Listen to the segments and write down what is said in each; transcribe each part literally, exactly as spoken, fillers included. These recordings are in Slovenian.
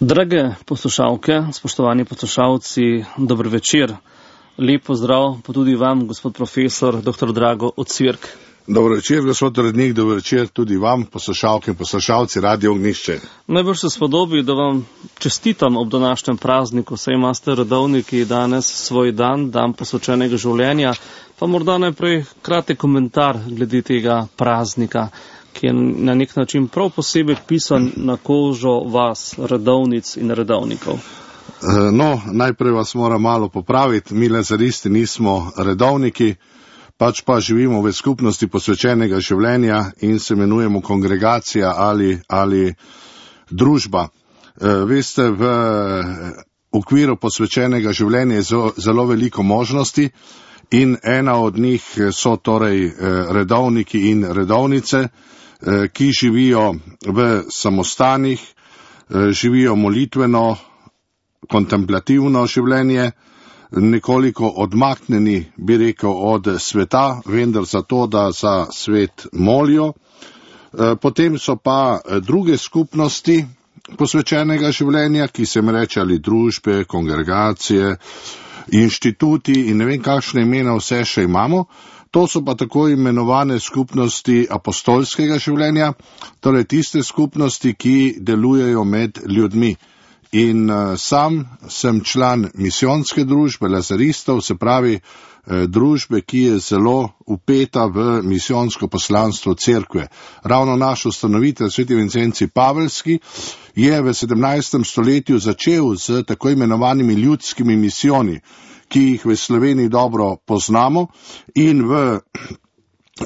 Drage poslušalke, spoštovani poslušalci, dober večer. Lep pozdrav pa tudi vam, gospod profesor, doktor Drago Ocvirk. Dobro večer, gospod urednik, dobro večer tudi vam, poslušalke in poslušalci Radio Ognjišče. Najbrž se spodobi, da vam čestitam ob današnjem prazniku, saj imate redovniki danes svoj dan, dan posvečenega življenja, pa morda najprej kratek komentar glede tega praznika, ki je na nek način prav posebej pisan na kožo vas, redovnic in redovnikov. No, najprej vas moram malo popraviti, mi lazaristi nismo redovniki, pač pa živimo v skupnosti posvečenega življenja in se imenujemo kongregacija ali, ali družba. Veste, v okviru posvečenega življenja je zelo, zelo veliko možnosti in ena od njih so torej redovniki in redovnice, ki živijo v samostanih, živijo molitveno, kontemplativno življenje, nekoliko odmaknjeni, bi rekel, od sveta, vendar zato, da za svet molijo. Potem so pa druge skupnosti posvečenega življenja, ki se jim reče ali družbe, kongregacije, inštituti in ne vem kakšne imena vse še imamo. To so pa tako imenovane skupnosti apostolskega življenja, torej tiste skupnosti, ki delujejo med ljudmi. In uh, sam sem član misijonske družbe lazaristov, se pravi eh, družbe, ki je zelo upeta v misijonsko poslanstvo cerkve. Ravno naš ustanovitelj, sveti Vincenci Pavelski, je v sedemnajstem stoletju začel z tako imenovanimi ljudskimi misijoni, ki jih v Sloveniji dobro poznamo, in v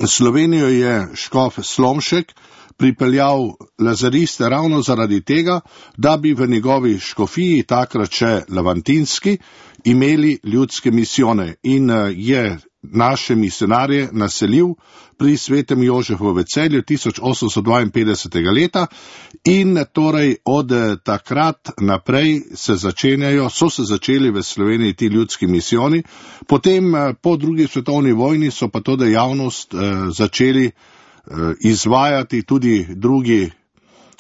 Slovenijo je škof Slomšek pripeljal lazariste ravno zaradi tega, da bi v njegovi škofiji, takrat še Levantinski, imeli ljudske misijone in je naše misionarje naselil pri svetem Jožefu v Celju tisoč osemsto dvainpetdesetega leta in torej od takrat naprej se začenjajo, so se začeli v Sloveniji ti ljudski misijoni, potem po drugi svetovni vojni so pa to dejavnost eh, začeli izvajati tudi drugi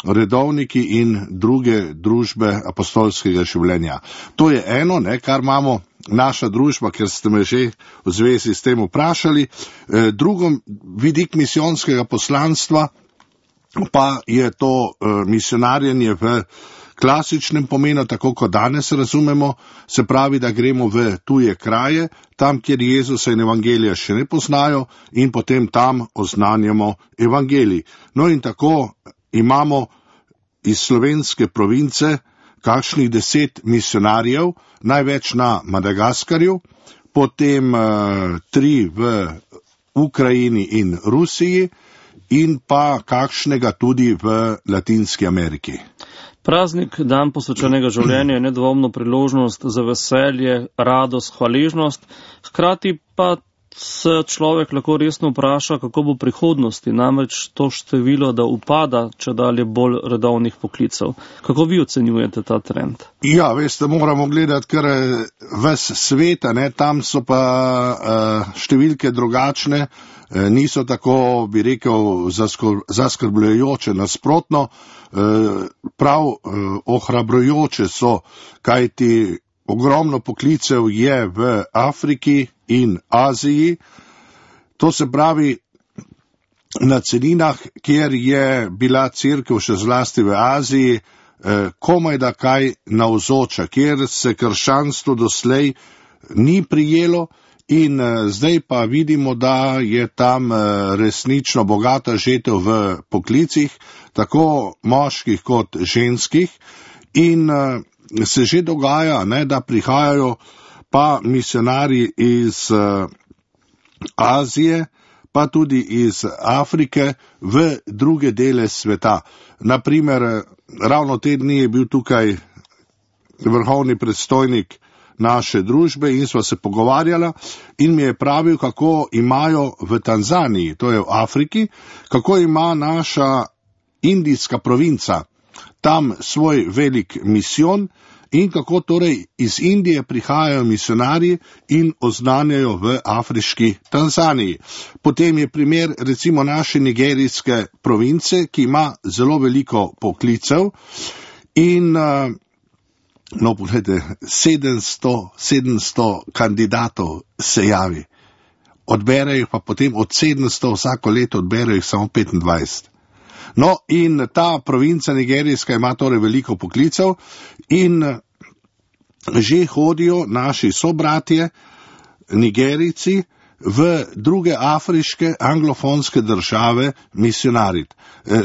redovniki in druge družbe apostolskega življenja. To je eno, ne, kar imamo naša družba, ker ste me že v zvezi s tem vprašali. Drugo, vidik misijonskega poslanstva pa je to misionarjenje v klasičnem pomenu, tako kot danes razumemo, se pravi, da gremo v tuje kraje, tam, kjer Jezusa in evangelija še ne poznajo in potem tam oznanjamo evangelij. No in tako imamo iz slovenske province kakšnih deset misionarjev, največ na Madagaskarju, potem uh, tri v Ukrajini in Rusiji in pa kakšnega tudi v Latinski Ameriki. Praznik, dan posvečenega življenja, je nedvomno priložnost za veselje, radost, hvaležnost, hkrati pa se človek lahko resno vpraša, kako bo v prihodnosti, namreč to število, da upada čedalje bolj redovnih poklicev. Kako vi ocenjujete ta trend? Ja, veste, moramo gledati kar ves svet, ne, tam so pa uh, številke drugačne, uh, niso tako, bi rekel, zaskrbljujoče, nasprotno, uh, prav uh, ohrabrujoče so, kajti ogromno poklicev je v Afriki in Aziji, to se pravi na celinah, kjer je bila cerkev še zlasti v Aziji, eh, komaj da kaj navzoča, kjer se krščanstvo doslej ni prijelo in eh, zdaj pa vidimo, da je tam eh, resnično bogata žetev v poklicih, tako moških kot ženskih in eh, se že dogaja, ne, da prihajajo pa misionarji iz uh, Azije, pa tudi iz Afrike v druge dele sveta. Naprimer, ravno te dni je bil tukaj vrhovni predstojnik naše družbe in sva se pogovarjala in mi je pravil, kako imajo v Tanzaniji, to je v Afriki, kako ima naša indijska provinca tam svoj velik misijon in kako torej iz Indije prihajajo misionarji in oznanjajo v afriški Tanzaniji. Potem je primer recimo naše nigerijske province, ki ima zelo veliko poklicev in uh, no, pogledajte, sedemsto, sedemsto kandidatov se javi. Odberejo pa potem od sedemsto vsako leto odberejo samo petindvajset. No, in ta provinca nigerijska ima torej veliko poklicev in že hodijo naši sobratje, Nigerijci, v druge afriške anglofonske države misionarit.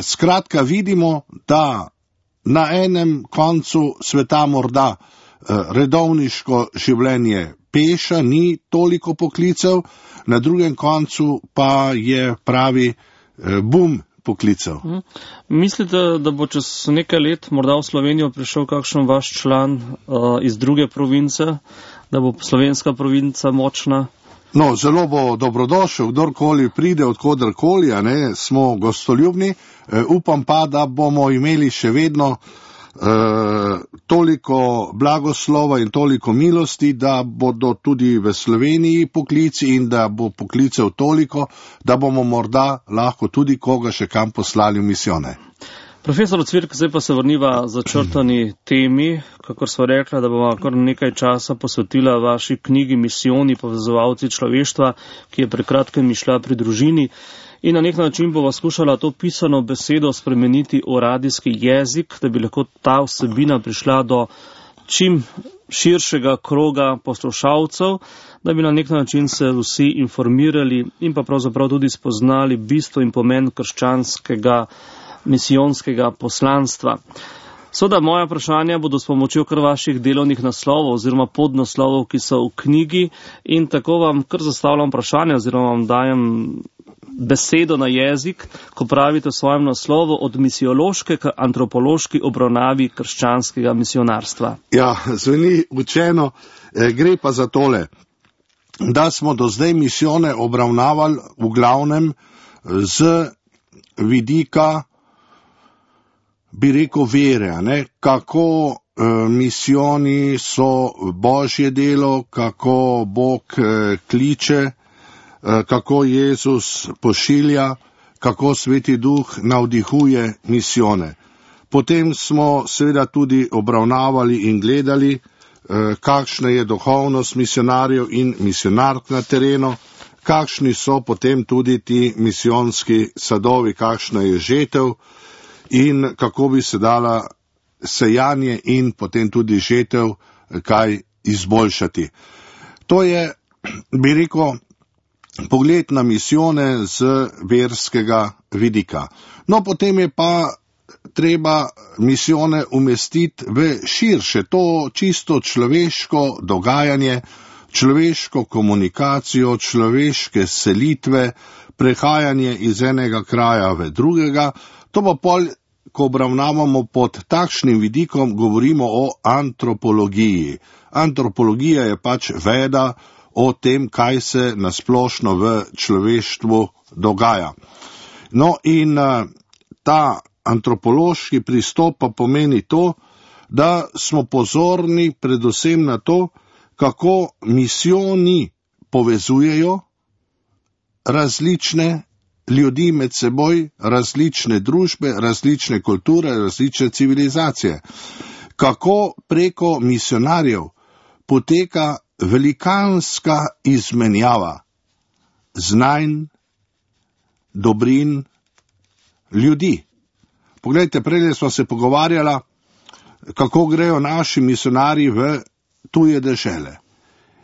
Skratka, vidimo, da na enem koncu sveta morda redovniško življenje peša, ni toliko poklicev, na drugem koncu pa je pravi bum poklicev. Hmm. Mislite, da bo čez nekaj let morda v Slovenijo prišel kakšen vaš član uh, iz druge province, da bo slovenska provinca močna? No, zelo bo dobrodošel, kdorkoli pride, odkodarkoli, a ne, smo gostoljubni. E, upam pa, da bomo imeli še vedno e, toliko blagoslova in toliko milosti, da bodo tudi v Sloveniji poklici in da bo poklicev toliko, da bomo morda lahko tudi koga še kam poslali v misijone. Profesor Cvirk, zdaj pa se vrniva začrtani temi, kakor sva rekla, da bomo kar nekaj časa posvetila vaši knjigi Misijoni, povezovalci človeštva, ki je pred kratkim išla pri družini. In na nek način bova skušala to pisano besedo spremeniti v radijski jezik, da bi lahko ta vsebina prišla do čim širšega kroga poslušalcev, da bi na nek način se vsi informirali in pa pravzaprav tudi spoznali bistvo in pomen krščanskega misijonskega poslanstva. Soda, moja vprašanja bodo s pomočjo kar vaših delovnih naslovov oziroma podnaslovov, ki so v knjigi, in tako vam kar zastavljam vprašanje oziroma vam dajem besedo na jezik, ko pravite v svojem naslovu od misijološke k antropološki obravnavi krščanskega misionarstva. Ja, zveni učeno, gre pa za tole, da smo do zdaj misijone obravnavali v glavnem z vidika, bi rekel, vere, ne? Kako e, misijoni so Božje delo, kako Bog e, kliče, e, kako Jezus pošilja, kako Sveti Duh navdihuje misijone. Potem smo seveda tudi obravnavali in gledali, e, kakšna je duhovnost misionarjev in misionark na terenu, kakšni so potem tudi ti misijonski sadovi, kakšna je žetev, in kako bi se dala sejanje in potem tudi žetev kaj izboljšati. To je, bi rekel, pogled na misijone z verskega vidika. No, potem je pa treba misijone umestiti v širše, to čisto človeško dogajanje, človeško komunikacijo, človeške selitve, prehajanje iz enega kraja v drugega. To pa pol, ko obravnavamo pod takšnim vidikom, govorimo o antropologiji. Antropologija je pač veda o tem, kaj se nasplošno v človeštvu dogaja. No in ta antropološki pristop pa pomeni to, da smo pozorni predvsem na to, kako misijoni povezujejo različne ljudi med seboj, različne družbe, različne kulture, različne civilizacije. Kako preko misionarjev poteka velikanska izmenjava znanj, dobrin, ljudi. Poglejte, prej smo se pogovarjala, kako grejo naši misionarji v tuje dežele.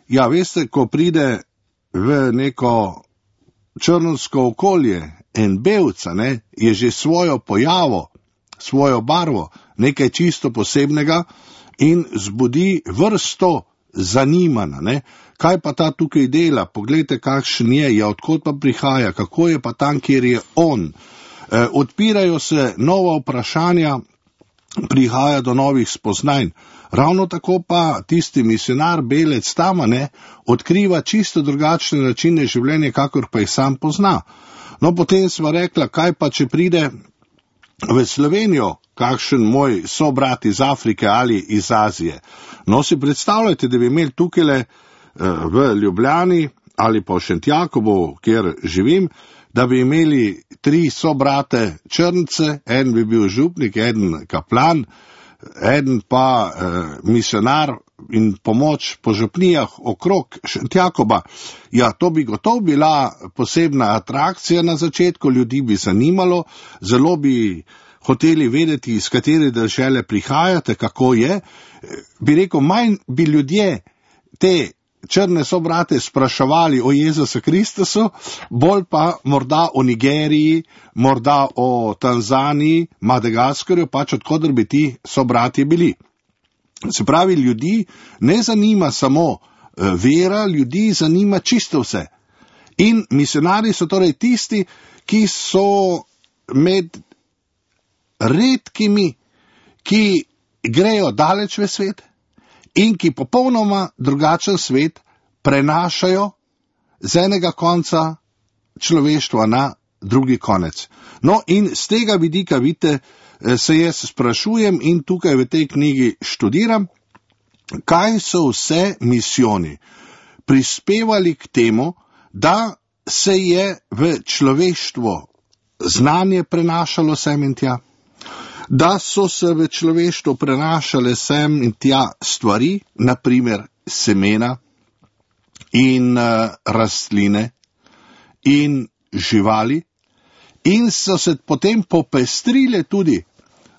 Ja, veste, ko pride v neko črnsko okolje en belca, ne, je že svojo pojavo, svojo barvo, nekaj čisto posebnega in zbudi vrsto zanimanja, ne. Kaj pa ta tukaj dela? Poglejte, kakšen je, ja, odkot pa prihaja, kako je pa tam, kjer je on. E, odpirajo se nova vprašanja, prihaja do novih spoznanj. Ravno tako pa tisti misionar, belec tam, ne, odkriva čisto drugačne načine življenja, kakor pa jih sam pozna. No, potem sva rekla, kaj pa, če pride v Slovenijo kakšen moj sobrat iz Afrike ali iz Azije. No, si predstavljajte, da bi imeli tukaj v Ljubljani ali pa v Šentjakobu, kjer živim, da bi imeli tri sobrate črnce, en bi bil župnik, en kaplan, eden pa eh, misionar in pomoč po župnijah okrog Šentjakoba. Ja, to bi gotovo bila posebna atrakcija na začetku, ljudi bi zanimalo, zelo bi hoteli vedeti, iz katere dežele prihajate, kako je. Bi rekel, manj bi ljudje te črne sobrate spraševali o Jezusu Kristusu, bolj pa morda o Nigeriji, morda o Tanzaniji, Madagaskarju, pač odkudar bi ti sobrati bili. Se pravi, ljudi ne zanima samo vera, ljudi zanima čisto vse. In misionari so torej tisti, ki so med redkimi, ki grejo daleč v svet in ki popolnoma drugačen svet prenašajo z enega konca človeštva na drugi konec. No, in z tega vidika, vidite, se jaz sprašujem in tukaj v tej knjigi študiram, kaj so vse misijoni prispevali k temu, da se je v človeštvo znanje prenašalo sem in tja, da so se v človeštvo prenašale sem in tja stvari, naprimer semena in uh, rastline in živali, in so se potem popestrile tudi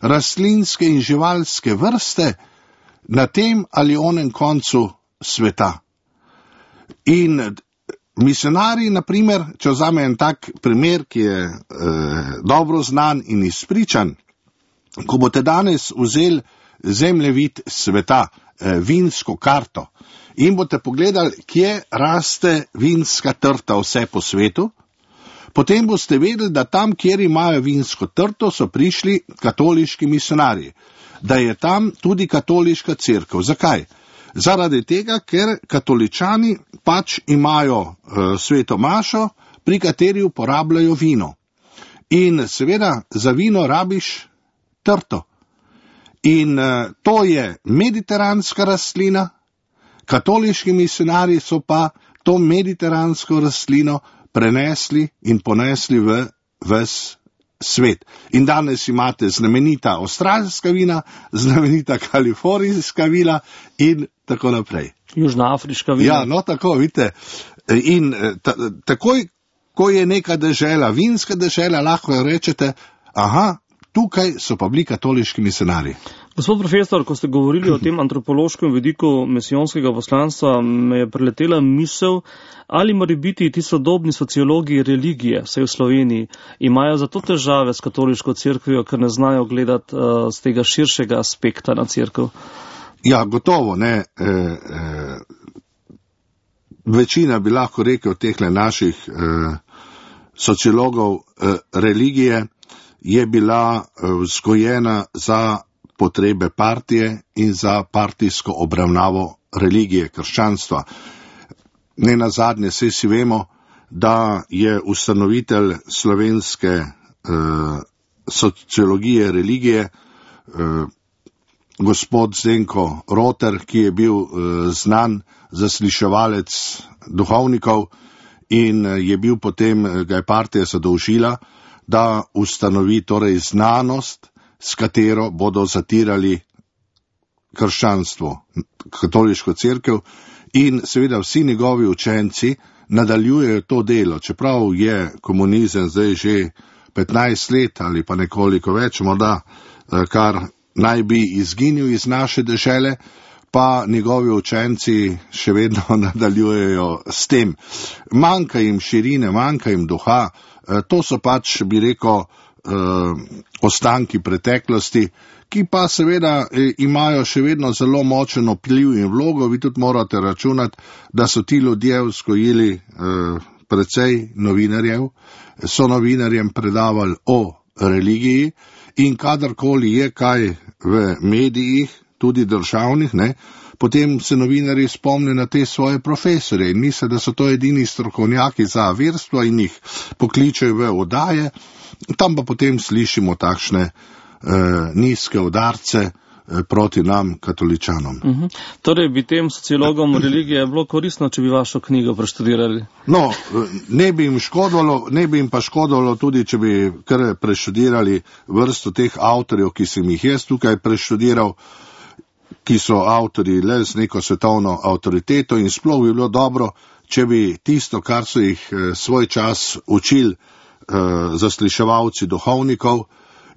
rastlinske in živalske vrste na tem ali onem koncu sveta. In misionari, naprimer, če vzame en tak primer, ki je eh, dobro znan in izpričan, ko boste danes vzeli zemljevid sveta, eh, vinsko karto, in boste pogledali, kje raste vinska trta vse po svetu, potem boste vedeli, da tam, kjer imajo vinsko trto, so prišli katoliški misionarji, da je tam tudi katoliška cerkev. Zakaj? Zaradi tega, ker katoličani pač imajo e, sveto mašo, pri kateri uporabljajo vino. In seveda za vino rabiš trto. In e, to je mediteranska rastlina, katoliški misionarji so pa to mediteransko rastlino prenesli in ponesli v ves svet. In danes imate znamenita avstralska vina, znamenita kalifornijska vina in tako naprej. Južnoafriška vina. Ja, no tako, vidite. In ta, takoj, ko je neka dežela, vinska dežela, lahko rečete, aha, tukaj so pa bili katoliški misionarji. Gospod profesor, ko ste govorili o tem antropološkem vidiku misijonskega poslanstva, me je preletela misel, ali mora biti ti sodobni sociologi religije, vsaj v Sloveniji, imajo zato težave s katoliško cerkvijo, ker ne znajo gledati uh, z tega širšega aspekta na cerkev? Ja, gotovo, ne. E, e, večina bi lahko rekel tehle naših e, sociologov e, religije je bila vzgojena za potrebe partije in za partijsko obravnavo religije, krščanstva. Ne nazadnje, saj si vemo, da je ustanovitelj slovenske eh, sociologije religije eh, gospod Zdenko Roter, ki je bil eh, znan zasliševalec duhovnikov in eh, je bil potem, eh, ga je partija zadolžila, da ustanovi torej znanost, s katero bodo zatirali krščanstvo, katoliško cerkev, in seveda vsi njegovi učenci nadaljujejo to delo, čeprav je komunizem zdaj že petnajst let ali pa nekoliko več, morda kar naj bi izginil iz naše dežele, pa njegovi učenci še vedno nadaljujejo s tem. Manjka jim širine, manjka jim duha, to so pač, bi rekel, ostanki preteklosti, ki pa seveda imajo še vedno zelo močen vpliv in vlogo. Vi tudi morate računati, da so ti ljudje vzgojili precej novinarjev, so novinarjem predavali o religiji in kadarkoli je kaj v medijih, tudi državnih, ne, potem se novinarji spomnijo na te svoje profesore in misle, da so to edini strokovnjaki za verstvo in jih pokličejo v oddaje. Tam pa potem slišimo takšne eh, nizke udarce, proti nam, katoličanom. Uh -huh. Torej bi tem sociologom religije bilo koristno, če bi vašo knjigo preštudirali? No, ne bi jim škodilo, ne bi jim pa škodilo tudi, če bi kar preštudirali vrsto teh avtorjev, ki sem jih jaz tukaj preštudiral, ki so avtorji le z neko svetovno avtoriteto, in sploh bi bilo dobro, če bi tisto, kar so jih svoj čas učili zasliševalci duhovnikov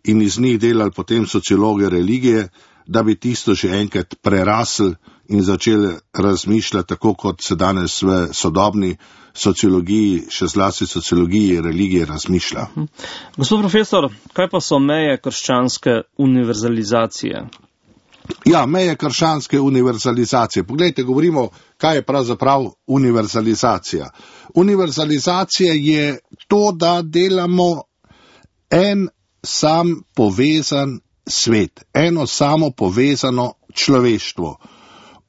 in iz njih delali potem sociologe religije, da bi tisto že enkrat prerasli in začeli razmišljati tako, kot se danes v sodobni sociologiji, še zlasti sociologiji religije razmišlja. Gospod profesor, kaj pa so meje krščanske univerzalizacije? Ja, meje krščanske univerzalizacije. Poglejte, govorimo, kaj je pravzaprav univerzalizacija. Univerzalizacija je to, da delamo en sam povezan svet, eno samo povezano človeštvo.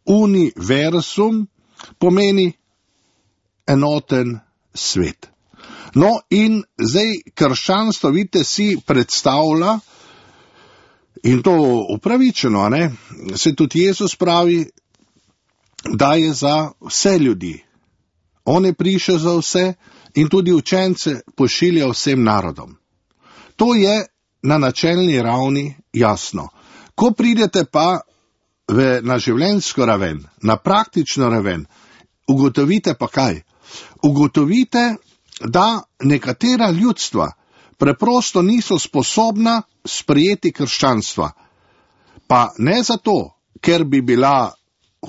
Univerzum pomeni enoten svet. No in zdaj krščanstvo, vidite, si predstavlja, in to upravičeno, ne? Se tudi Jezus pravi, da je za vse ljudi. On je prišel za vse in tudi učence pošilja vsem narodom. To je na načelni ravni jasno. Ko pridete pa v, na življenjsko raven, na praktično raven, ugotovite pa kaj? Ugotovite, da nekatera ljudstva preprosto niso sposobna sprejeti krščanstva. Pa ne zato, ker bi bila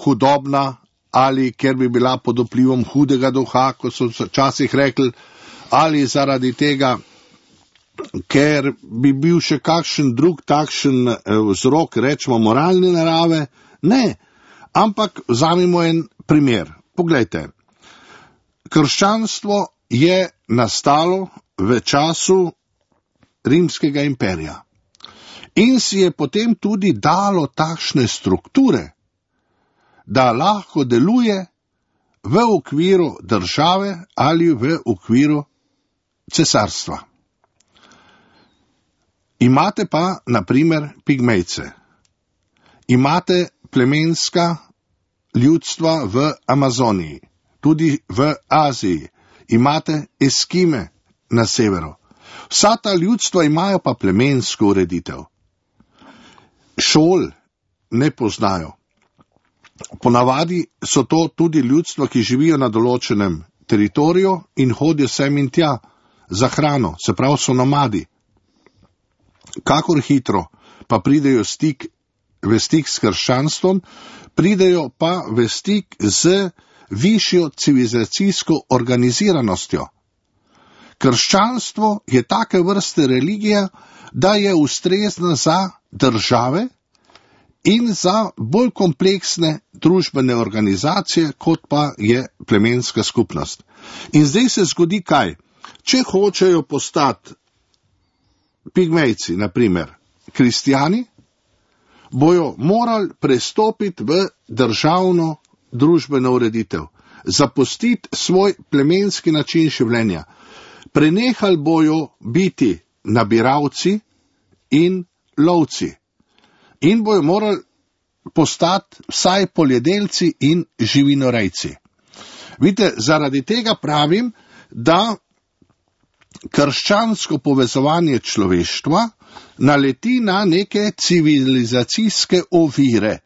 hudobna ali ker bi bila pod vplivom hudega duha, kot so včasih rekli, ali zaradi tega, ker bi bil še kakšen drug takšen vzrok, rečemo moralne narave. Ne, ampak vzamemo en primer. Poglejte, krščanstvo je nastalo v času Rimskega imperija in si je potem tudi dalo takšne strukture, da lahko deluje v okviru države ali v okviru cesarstva. Imate pa, na primer, pigmejce. Imate plemenska ljudstva v Amazoniji, tudi v Aziji. Imate Eskime na severu. Vsa ta ljudstva imajo pa plemensko ureditev. Šol ne poznajo. Ponavadi so to tudi ljudstva, ki živijo na določenem teritoriju in hodijo sem in tja za hrano, se pravi so nomadi. Kakor hitro pa pridejo stik, v stik s krščanstvom, pridejo pa v stik z višjo civilizacijsko organiziranostjo. Krščanstvo je take vrste religija, da je ustrezna za države in za bolj kompleksne družbene organizacije, kot pa je plemenska skupnost. In zdaj se zgodi kaj? Če hočejo postati pigmejci, na primer, kristjani, bojo morali prestopiti v državno družbeno ureditev, zapustiti svoj plemenski način življenja. Prenehali bojo biti nabiralci in lovci in bojo morali postati vsaj poljedelci in živinorejci. Vidite, zaradi tega pravim, da krščansko povezovanje človeštva naleti na neke civilizacijske ovire.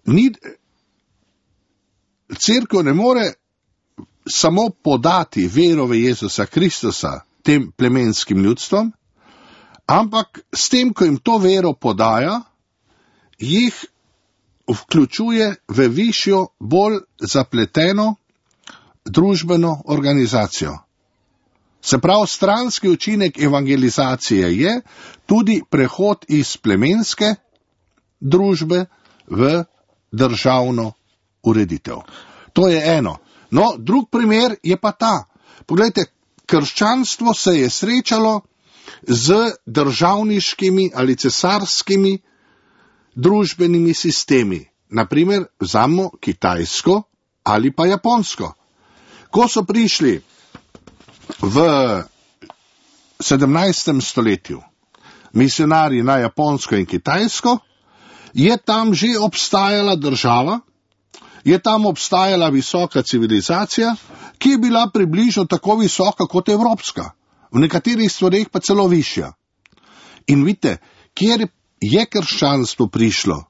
Ni, cerkev ne more samo podati vero v Jezusa Kristusa tem plemenskim ljudstvom, ampak s tem, ko jim to vero podaja, jih vključuje v višjo, bolj zapleteno družbeno organizacijo. Se pravi, stranski učinek evangelizacije je tudi prehod iz plemenske družbe v državno ureditev. To je eno. No, drug primer je pa ta. Poglejte, krščanstvo se je srečalo z državniškimi ali cesarskimi družbenimi sistemi. Naprimer, vzamemo Kitajsko ali pa Japonsko. Ko so prišli v sedemnajstem stoletju misionarji na Japonsko in Kitajsko, je tam že obstajala država, je tam obstajala visoka civilizacija, ki je bila približno tako visoka kot evropska, v nekaterih stvareh pa celo višja. In vidite, kjer je krščanstvo prišlo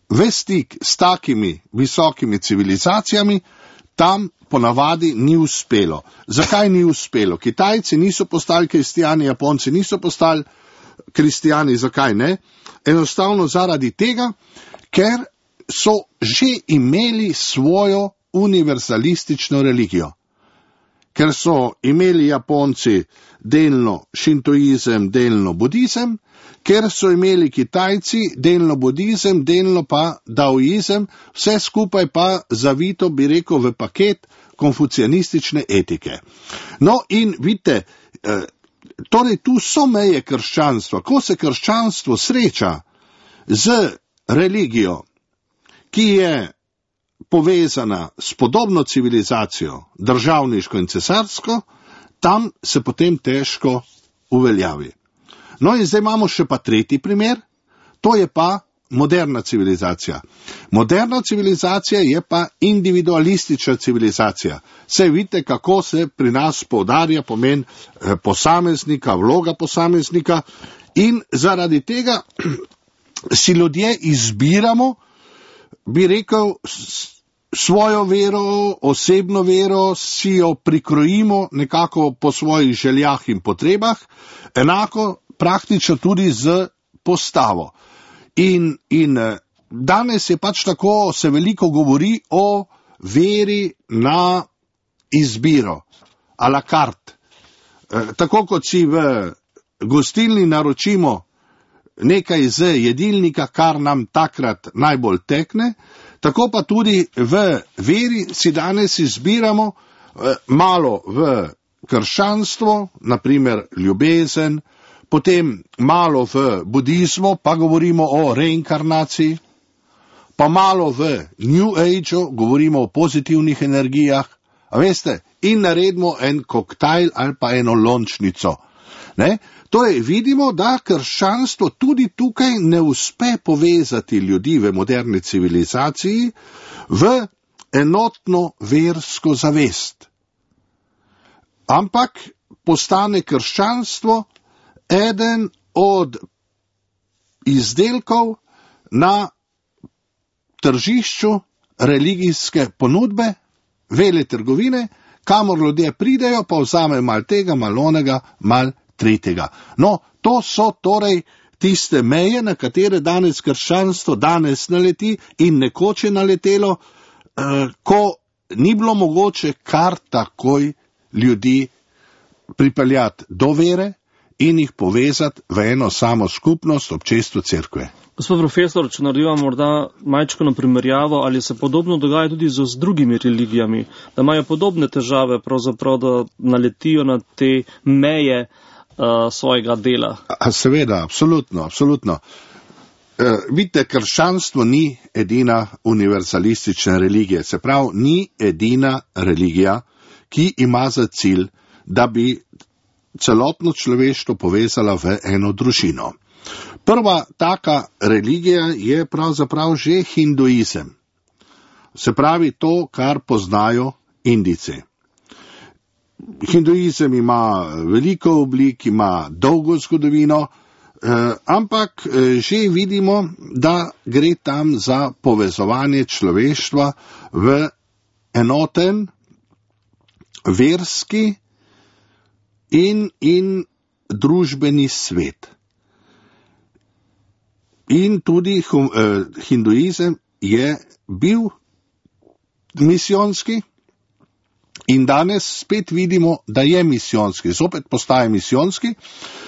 v stik s takimi visokimi civilizacijami, tam ponavadi ni uspelo. Zakaj ni uspelo? Kitajci niso postali kristijani, Japonci niso postali kristijani, zakaj ne? Enostavno zaradi tega, ker so že imeli svojo univerzalistično religijo. Ker so imeli Japonci delno šintoizem, delno budizem, ker so imeli Kitajci delno budizem, delno pa daoizem, vse skupaj pa zavito, bi rekel, v paket konfucianistične etike. No in vidite, eh, torej tu so meje krščanstva. Ko se krščanstvo sreča z religijo, ki je povezana s podobno civilizacijo, državniško in cesarsko, tam se potem težko uveljavi. No in zdaj imamo še pa tretji primer, to je pa moderna civilizacija. Moderna civilizacija je pa individualistična civilizacija. Saj vidite, kako se pri nas poudarja pomen posameznika, vloga posameznika, in zaradi tega si ljudje izbiramo, bi rekel, svojo vero, osebno vero, si jo prikrojimo nekako po svojih željah in potrebah, enako praktično tudi z postavo. In, in danes je pač tako, se veliko govori o veri na izbiro, a la carte. Tako kot si v gostilni naročimo nekaj z jedilnika, kar nam takrat najbolj tekne, tako pa tudi v veri si danes izbiramo malo v krščanstvo, naprimer ljubezen, potem malo v budizmu, pa govorimo o reinkarnaciji, pa malo v New Ageu, govorimo o pozitivnih energijah, a veste, in naredimo en koktajl ali pa eno lončnico. Ne? Torej vidimo, da krščanstvo tudi tukaj ne uspe povezati ljudi v moderni civilizaciji v enotno versko zavest. Ampak postane krščanstvo eden od izdelkov na tržišču religijske ponudbe, veletrgovine, kamor ljudje pridejo, pa vzame mal tega, mal onega, mal tretjega. No, to so torej tiste meje, na katere danes krščanstvo danes naleti in nekoč je naletelo, eh, ko ni bilo mogoče kar takoj ljudi pripeljati do vere in jih povezati v eno samo skupnost, občestvo cerkve. Gospod profesor, če naredimo morda majčkano primerjavo, ali se podobno dogaja tudi z, z drugimi religijami, da imajo podobne težave, pravzaprav, da naletijo na te meje uh, svojega dela? A, seveda, absolutno, absolutno. E, vidite, krščanstvo ni edina univerzalistična religija, se pravi, ni edina religija, ki ima za cilj, da bi celotno človeštvo povezala v eno družino. Prva taka religija je pravzaprav že hinduizem. Se pravi to, kar poznajo Indijci. Hinduizem ima veliko oblik, ima dolgo zgodovino, eh, ampak eh, že vidimo, da gre tam za povezovanje človeštva v enoten, verski in, in družbeni svet. In tudi hum, eh, hinduizem je bil misijonski in danes spet vidimo, da je misijonski, zopet postaje misijonski.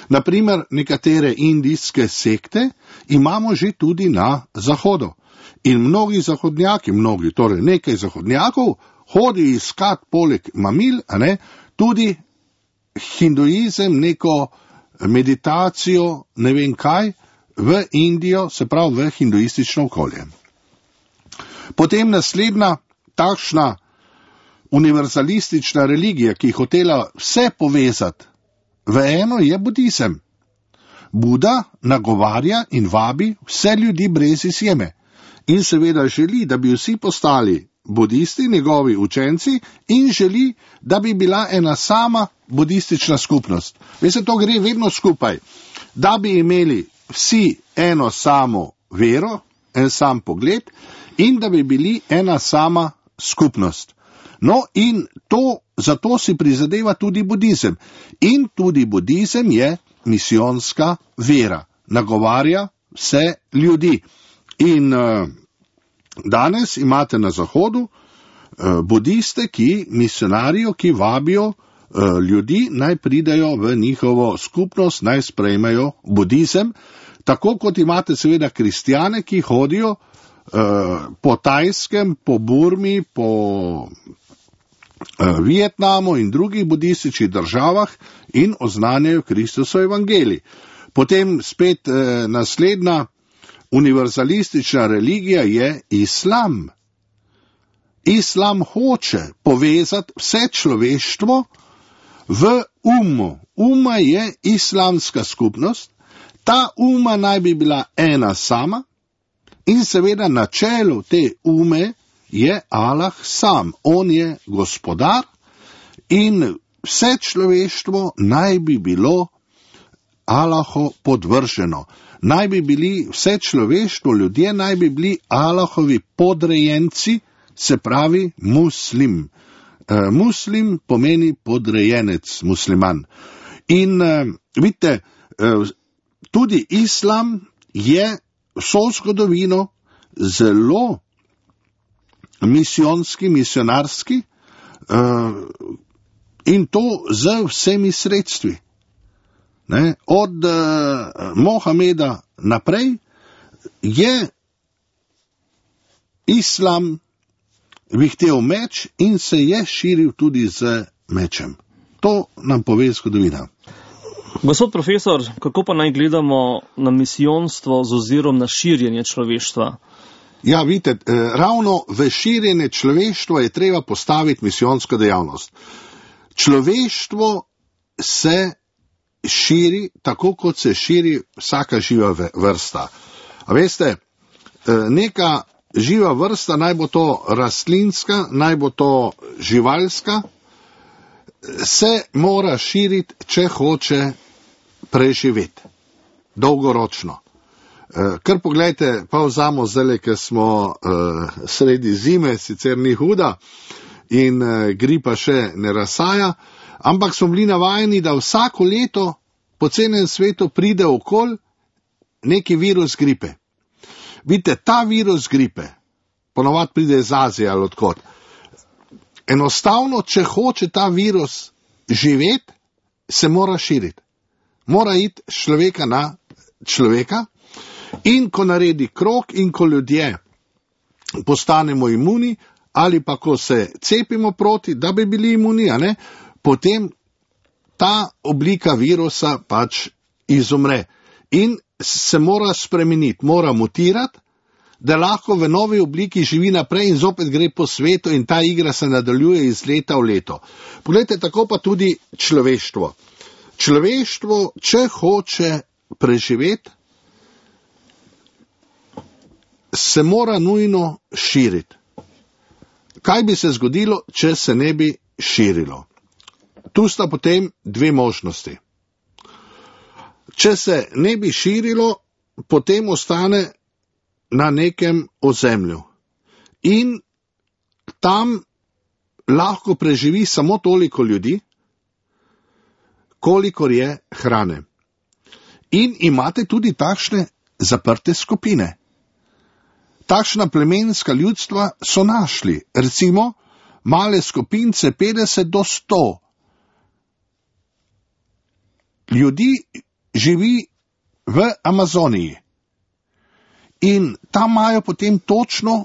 Naprimer, nekatere indijske sekte imamo že tudi na zahodu. In mnogi zahodnjaki, mnogi, torej nekaj zahodnjakov, hodi iskat poleg mamil, a ne, tudi hinduizem, neko meditacijo, ne vem kaj, v Indijo, se pravi v hinduistično okolje. Potem naslednja takšna univerzalistična religija, ki je hotela vse povezati v eno, je budizem. Buda nagovarja in vabi vse ljudi brez izjeme in seveda želi, da bi vsi postali budisti, njegovi učenci, in želi, da bi bila ena sama budistična skupnost. Veste, to gre vedno skupaj. Da bi imeli vsi eno samo vero, en sam pogled in da bi bili ena sama skupnost. No in to, zato si prizadeva tudi budizem. In tudi budizem je misijonska vera. Nagovarja vse ljudi. In uh, danes imate na Zahodu uh, budiste, ki misionarijo, ki vabijo uh, ljudi, naj pridajo v njihovo skupnost, naj sprejmejo budizem. Tako kot imate seveda kristjane, ki hodijo uh, po Tajskem, po Burmi, po uh, Vietnamu in drugih budističnih državah in oznanjajo Kristusov evangelij. Potem spet uh, naslednja univerzalistična religija je islam. Islam hoče povezati vse človeštvo v umu. Uma je islamska skupnost. Ta uma naj bi bila ena sama in seveda na čelu te ume je Allah sam. On je gospodar in vse človeštvo naj bi bilo Allahu podvrženo. Naj bi bili vse človeštvo, ljudje naj bi bili Allahovi podrejenci, se pravi muslim. E, muslim pomeni podrejenec, musliman. In e, vidite, e, tudi islam je vso zgodovino zelo misijonski, misionarski uh, in to z vsemi sredstvi. Ne? Od uh, Mohameda naprej je islam vihtel meč in se je širil tudi z mečem. To nam pove zgodovina. Gospod profesor, kako pa naj gledamo na misijonstvo z ozirom na širjenje človeštva? Ja, vidite, ravno v širjenje človeštva je treba postaviti misijonsko dejavnost. Človeštvo se širi tako, kot se širi vsaka živa vrsta. A veste, neka živa vrsta, naj bo to rastlinska, naj bo to živalska, se mora širiti, če hoče preživeti. Dolgoročno. Kar pogledajte, pa vzamo zdaj, ker smo uh, sredi zime, sicer ni huda in uh, gripa še ne razsaja, ampak smo bili navajeni, da vsako leto po celem svetu pride okoli neki virus gripe. Vidite, ta virus gripe, ponovadi pride iz Azije ali odkot. Enostavno, če hoče ta virus živeti, se mora širiti. Mora iti človeka na človeka in ko naredi krog in ko ljudje postanemo imuni ali pa ko se cepimo proti, da bi bili imuni, a ne, potem ta oblika virusa pač izumre in se mora spremeniti, mora mutirati, da lahko v novi obliki živi naprej in zopet gre po svetu in ta igra se nadaljuje iz leta v leto. Poglejte, tako pa tudi človeštvo. Človeštvo, če hoče preživeti, se mora nujno širiti. Kaj bi se zgodilo, če se ne bi širilo? Tu sta potem dve možnosti. Če se ne bi širilo, potem ostane na nekem ozemlju. In tam lahko preživi samo toliko ljudi, kolikor je hrane. In imate tudi takšne zaprte skupine. Takšna plemenska ljudstva so našli, recimo male skupince petdeset do sto. Ljudi živi v Amazoniji in tam imajo potem točno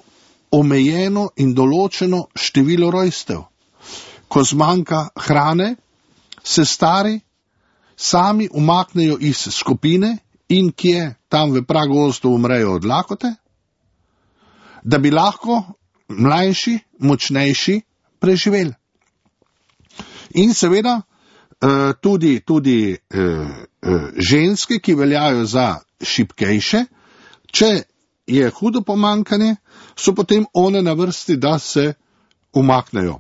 omejeno in določeno število rojstev. Ko zmanjka hrane, se stari sami umaknejo iz skupine in kje tam v pragozdu umrejo od lakote, da bi lahko mlajši, močnejši preživeli. In seveda tudi, tudi ženske, ki veljajo za šibkejše, če je hudo pomankanje, so potem one na vrsti, da se umaknejo.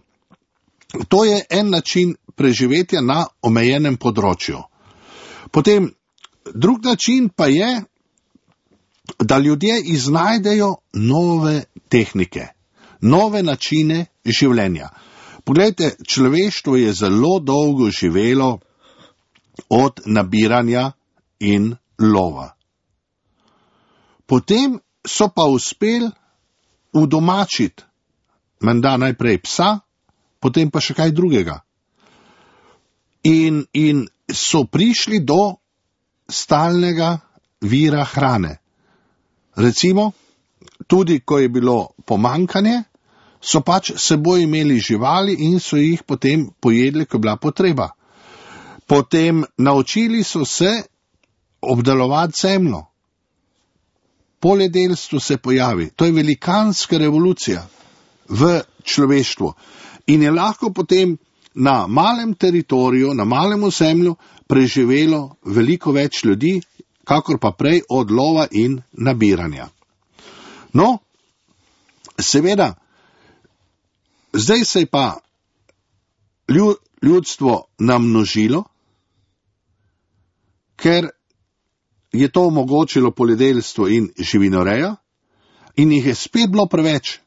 To je en način preživetja na omejenem področju. Potem drug način pa je, da ljudje iznajdejo nove tehnike, nove načine življenja. Poglejte, človeštvo je zelo dolgo živelo od nabiranja in lova. Potem so pa uspeli udomačiti, menda najprej psa, potem pa še kaj drugega. In, in so prišli do stalnega vira hrane. Recimo, tudi ko je bilo pomankanje, so pač seboj imeli živali in so jih potem pojedli, ko je bila potreba. Potem naučili so se obdelovati zemljo. Poljedelstvo se pojavi. To je velikanska revolucija v človeštvu. In je lahko potem na malem teritoriju, na malem ozemlju preživelo veliko več ljudi, kakor pa prej od lova in nabiranja. No, seveda, zdaj se je pa ljudstvo namnožilo, ker je to omogočilo poljedelstvo in živinoreja in jih je spet bilo preveč,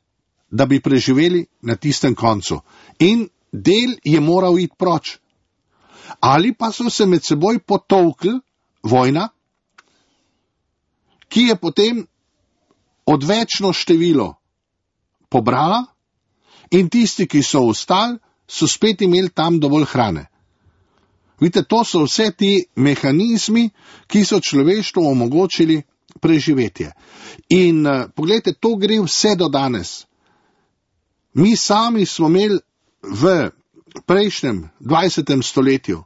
da bi preživeli na tistem koncu. In del je moral iti proč. Ali pa so se med seboj potolkli, vojna, ki je potem odvečno število pobrala in tisti, ki so ostali, so spet imeli tam dovolj hrane. Vidite, to so vse ti mehanizmi, ki so človeštvu omogočili preživetje. In uh, pogledajte, to gre vse do danes. Mi sami smo imeli v prejšnjem dvajsetem stoletju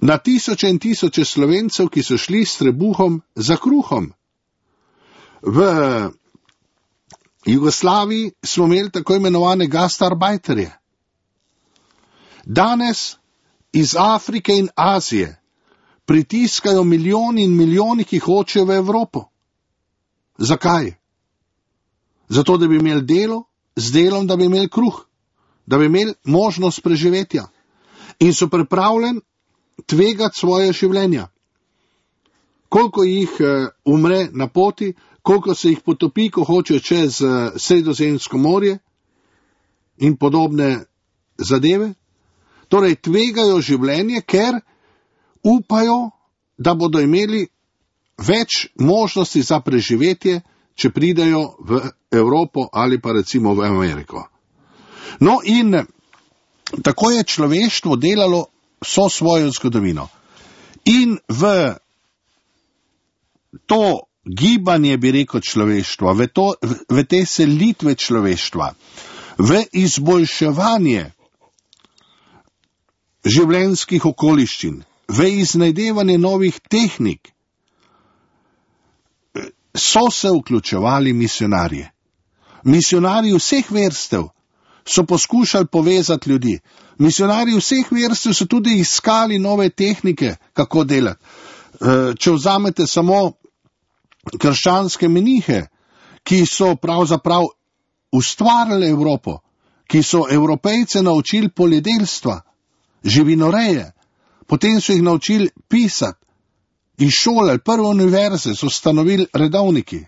na tisoče in tisoče Slovencev, ki so šli s trebuhom za kruhom. V Jugoslaviji smo imeli tako imenovane gastarbajterje. Danes iz Afrike in Azije pritiskajo milijoni in milijoni, ki hočejo v Evropo. Zakaj? Zato, da bi imeli delo, z delom, da bi imeli kruh, da bi imeli možnost preživetja. In so pripravljeni tvegati svoje življenja. Koliko jih uh, umre na poti, koliko se jih potopi, ko hočejo čez uh, Sredozemsko morje in podobne zadeve. Torej, tvegajo življenje, ker upajo, da bodo imeli več možnosti za preživetje, če pridejo v Evropo ali pa recimo v Ameriko. No in tako je človeštvo delalo vso svojo zgodovino. In v to gibanje, bi rekel, človeštva, v, to, v te selitve človeštva, v izboljševanje življenjskih okoliščin, v iznajdevanje novih tehnik, so se vključevali misionarje. Misionarji vseh vrstev so poskušali povezati ljudi. Misionarji vseh vrstev so tudi iskali nove tehnike, kako delati. Če vzamete samo krščanske menihe, ki so pravzaprav ustvarili Evropo, ki so Evropejce naučili poljedelstva, živinoreje, potem so jih naučili pisati, iz šole, prve univerze so ustanovili redovniki.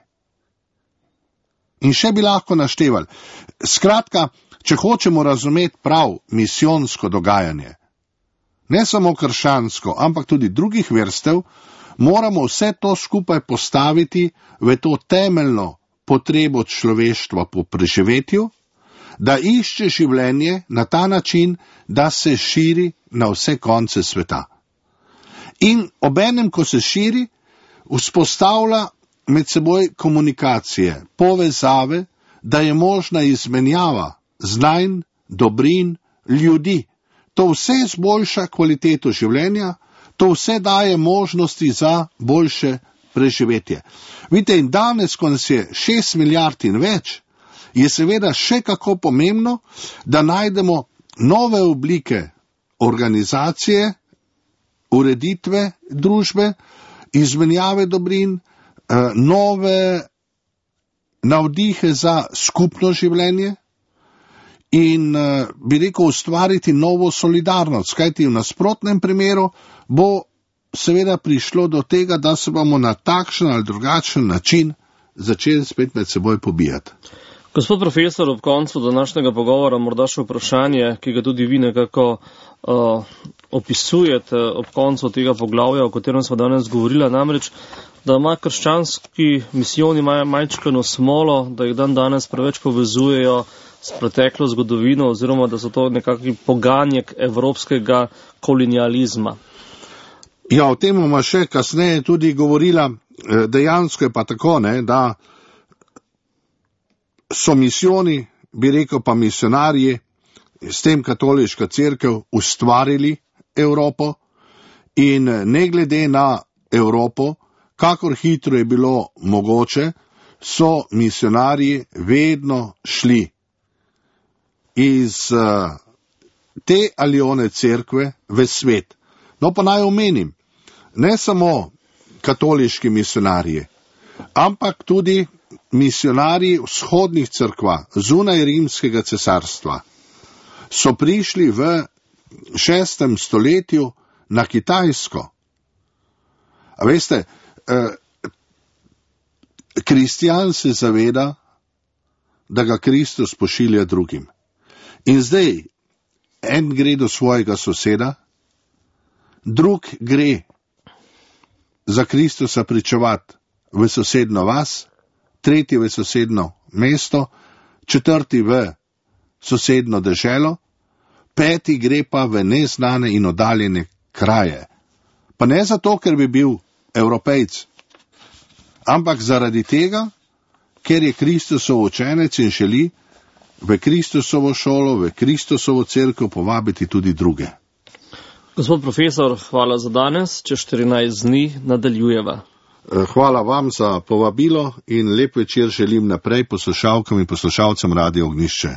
In še bi lahko naštevali. Skratka, če hočemo razumeti prav misijonsko dogajanje, ne samo krščansko, ampak tudi drugih vrstev, moramo vse to skupaj postaviti v to temeljno potrebo človeštva po preživetju, da išče življenje na ta način, da se širi na vse konce sveta. In obenem, ko se širi, vzpostavlja med seboj komunikacije, povezave, da je možna izmenjava znanj, dobrin, ljudi. To vse zboljša kvaliteto življenja, to vse daje možnosti za boljše preživetje. Vidite, in danes, ko nas je šest milijard in več, je seveda še kako pomembno, da najdemo nove oblike organizacije, ureditve družbe, izmenjave dobrin, nove navdihe za skupno življenje in, bi rekel, ustvariti novo solidarnost, kajti v nasprotnem primeru bo seveda prišlo do tega, da se bomo na takšen ali drugačen način začeli spet med seboj pobijati. Gospod profesor, ob koncu današnjega pogovora morda še vprašanje, ki ga tudi vi nekako uh, opisujete ob koncu tega poglavja, o katerem smo danes govorili, namreč, da ima krščanski misijoni majčkeno smolo, da jih dan danes preveč povezujejo s preteklo zgodovino, oziroma da so to nekakvi poganjek evropskega kolonializma. Ja, o tem bomo še kasneje tudi govorila. Dejansko je pa tako, ne, da so misijoni, bi rekel pa misionarji, s tem katoliška cerkev ustvarili Evropo in ne glede na Evropo, kakor hitro je bilo mogoče, so misionarji vedno šli iz uh, te ali one cerkve v svet. No pa naj omenim, ne samo katoliški misionarji, ampak tudi misionarji vzhodnih cerkva, zunaj rimskega cesarstva, so prišli v šestem stoletju na Kitajsko. A veste, eh, kristjan se zaveda, da ga Kristus pošilja drugim. In zdaj, en gre do svojega soseda, drug gre za Kristusa pričevati v sosedno vas, tretji v sosedno mesto, četrti v sosedno deželo, peti gre pa v neznane in oddaljene kraje. Pa ne zato, ker bi bil Evropejc, ampak zaradi tega, ker je Kristusov učenec in želi v Kristusovo šolo, v Kristusovo cerkev povabiti tudi druge. Gospod profesor, hvala za danes, čez štirinajst dni nadaljujeva. Hvala vam za povabilo in lep večer želim naprej poslušalkam in poslušalcem Radia Ognjišče.